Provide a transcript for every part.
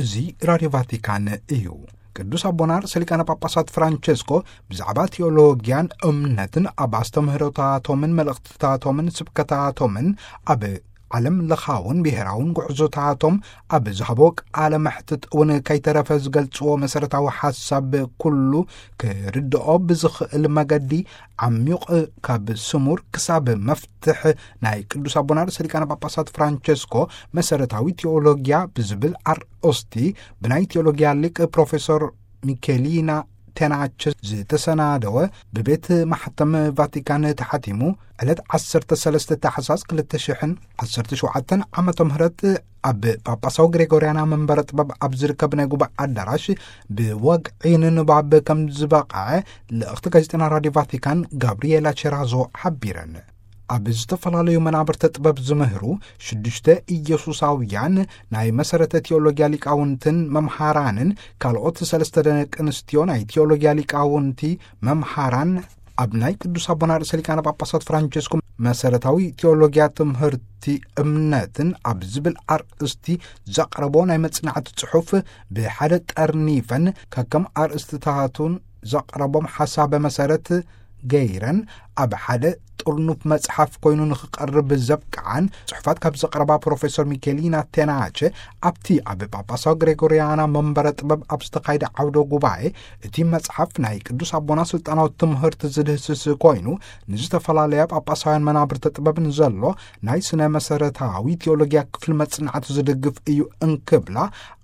እዚ ራድዮ ቫቲካን እዩ። ቅዱስ ኣቦና ርእሰ ሊቃነ ጳጳሳት ፍራንቸስኮ ብዛዕባ ቴዎሎጊያን እምነትን ኣብ ኣስተምህሮታቶምን መልእኽትታቶምን ስብከታቶምን ኣብ ዓለም ለኻውን ብሔራውን ጉዕዞታቶም ኣብ ዝሃቦ ቃለ መሕትት እውን ከይተረፈ ዝገልጽዎ መሰረታዊ ሓሳብ ኩሉ ክርድኦ ብዝኽእል መገዲ ዓሚቕ ካብ ስሙር ክሳብ መፍትሕ ናይ ቅዱስ ኣቦና ርእሰ ሊቃነ ጳጳሳት ፍራንቸስኮ መሰረታዊ ቴዎሎጊያ ብዝብል ኣርእስቲ ብናይ ቴዎሎጊያ ሊቅ ፕሮፌሰር ሚኬሊና ቴናቸ ዝተሰናደወ ብቤት ማሕተም ቫቲካን ተሓቲሙ ዕለት ዓሰርተ ሰለስተ ታሕሳስ ክልተ ሽሕን ዓሰርተ ሸውዓተን ዓመተ ምህረት ኣብ ጳጳሳዊ ግሬጎርያና መንበረ ጥበብ ኣብ ዝርከብ ናይ ጉባኤ ኣዳራሽ ብወግዒ ንንባብ ከም ዝበቕዐ ልእኽቲ ጋዜጠና ራድዮ ቫቲካን ጋብሪኤላ ቸራዞ ሓቢረን። ኣብ ዝተፈላለዩ መናብርተ ጥበብ ዝምህሩ ሽዱሽተ ኢየሱሳውያን ናይ መሰረተ ቴዎሎጊያ ሊቃውንትን መምሃራንን ካልኦት ሰለስተ ደቂ ኣንስትዮ ናይ ቴዎሎጊያ ሊቃውንቲ መምሃራን ኣብ ናይ ቅዱስ ኣቦና ርእሰ ሊቃነ ጳጳሳት ፍራንቸስኮ መሰረታዊ ቴዎሎጊያ ትምህርቲ እምነትን ኣብ ዝብል ኣርእስቲ ዘቕረቦ ናይ መጽናዕቲ ጽሑፍ ብሓደ ጠርኒፈን ከከም ኣርእስትታቱን ዘቕረቦም ሓሳበ መሰረት ገይረን ኣብ ሓደ ጥርኑፍ መጽሓፍ ኮይኑ ንኽቐርብ ዘብቅዓን ጽሑፋት ካብ ዘቕረባ ፕሮፌሰር ሚኬሊና ቴናቸ ኣብቲ ኣብ ጳጳሳዊ ግሬጎርያና መንበረ ጥበብ ኣብ ዝተኻይደ ዓውደ ጉባኤ እቲ መጽሓፍ ናይ ቅዱስ ኣቦና ስልጣናዊ ትምህርቲ ዝድህስስ ኮይኑ ንዝተፈላለያ ጳጳሳውያን መናብርተ ጥበብ ንዘሎ ናይ ስነ መሰረታዊ ቴዎሎጊያ ክፍሊ መጽናዕቲ ዝድግፍ እዩ እንክብላ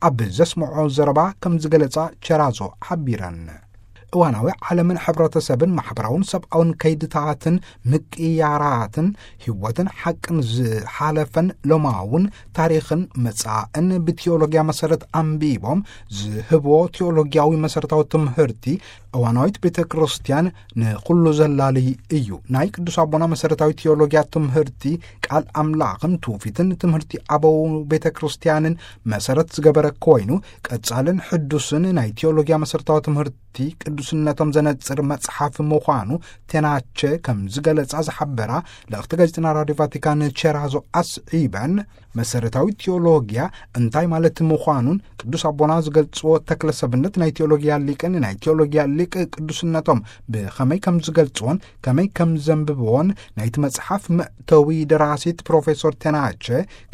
ኣብ ዘስምዖ ዘረባ ከም ዝገለጻ ቸራዞ ሓቢረን። እዋናዊ ዓለምን ሕብረተሰብን ማሕበራውን ሰብኣውን ከይድታትን ምቅያራትን ህይወትን ሓቅን ዝሓለፈን ሎማውን ታሪኽን መጻእን ብቴዎሎጊያ መሰረት ኣንቢቦም ዝህብዎ ቴዎሎጊያዊ መሰረታዊ ትምህርቲ እዋናዊት ቤተ ክርስቲያን ንኹሉ ዘላሊ እዩ። ናይ ቅዱስ ኣቦና መሰረታዊ ቴዎሎጊያ ትምህርቲ ቃል ኣምላኽን ትውፊትን ትምህርቲ ኣበው ቤተ ክርስቲያንን መሰረት ዝገበረ ኮይኑ ቀጻልን ሕዱስን ናይ ቴዎሎጊያ መሰረታዊ ትምህርቲ ቅዱስነቶም ዘነጽር መጽሓፍ ምዃኑ ቴናቸ ከም ዝገለጻ ዝሓበራ ልእኽቲ ጋዜጠና ራድዮ ቫቲካን ቸራዞ ኣስዒበን መሰረታዊ ቴዎሎጊያ እንታይ ማለት ምዃኑን ቅዱስ ኣቦና ዝገልጽዎ ተክለ ሰብነት ናይ ቴዎሎጊያ ሊቅን ናይ ቴዎሎጊያ ሊቅ ቅዱስነቶም ብኸመይ ከም ዝገልጽዎን ከመይ ከም ዘንብብዎን ናይቲ መጽሓፍ መእተዊ ደራሲት ፕሮፌሰር ቴናቸ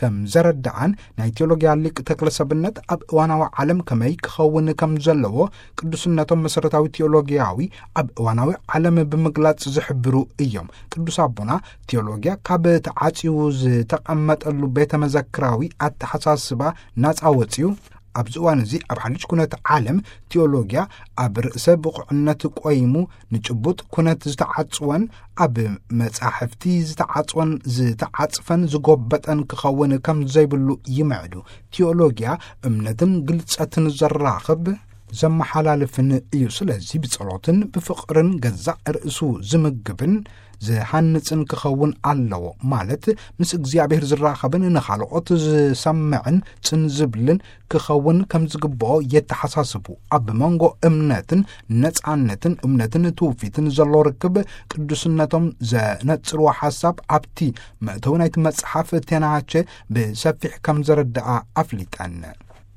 ከም ዘረድኣን ናይ ቴዎሎጊያ ሊቅ ተክለ ሰብነት ኣብ እዋናዊ ዓለም ከመይ ክኸውን ከም ዘለዎ ቅዱስነቶም መሰረታዊ ቴዎሎጊያዊ ኣብ እዋናዊ ዓለም ብምግላጽ ዝሕብሩ እዮም። ቅዱስ ኣቦና ቴዎሎጊያ ካብ ተዓጽዩ ዝተቐመጠሉ ቤተ መዘክራዊ ኣተሓሳስባ ናጻ ወጽዩ ኣብዚ እዋን እዚ ኣብ ሓድሽ ኩነት ዓለም ቴዎሎጊያ ኣብ ርእሰ ብቑዕነት ቆይሙ ንጭቡጥ ኩነት ዝተዓጽወን ኣብ መጻሕፍቲ ዝተዓጽወን ዝተዓጽፈን ዝጎበጠን ክኸውን ከም ዘይብሉ ይምዕዱ። ቴዎሎጊያ እምነትን ግልጸትን ዘራኽብ ዘመሓላልፍን እዩ። ስለዚ ብጸሎትን ብፍቕርን ገዛእ ርእሱ ዝምግብን ዝሃንጽን ክኸውን ኣለዎ። ማለት ምስ እግዚኣብሔር ዝራኸብን ንኻልኦት ዝሰምዕን ጽን ዝብልን ክኸውን ከም ዝግብኦ የተሓሳስቡ። ኣብ መንጎ እምነትን ነጻነትን እምነትን ትውፊትን ዘሎ ርክብ ቅዱስነቶም ዘነጽርዎ ሓሳብ ኣብቲ መእተዊ ናይቲ መጽሓፍ ቴናቸ ብሰፊሕ ከም ዘረድኣ ኣፍሊጠን።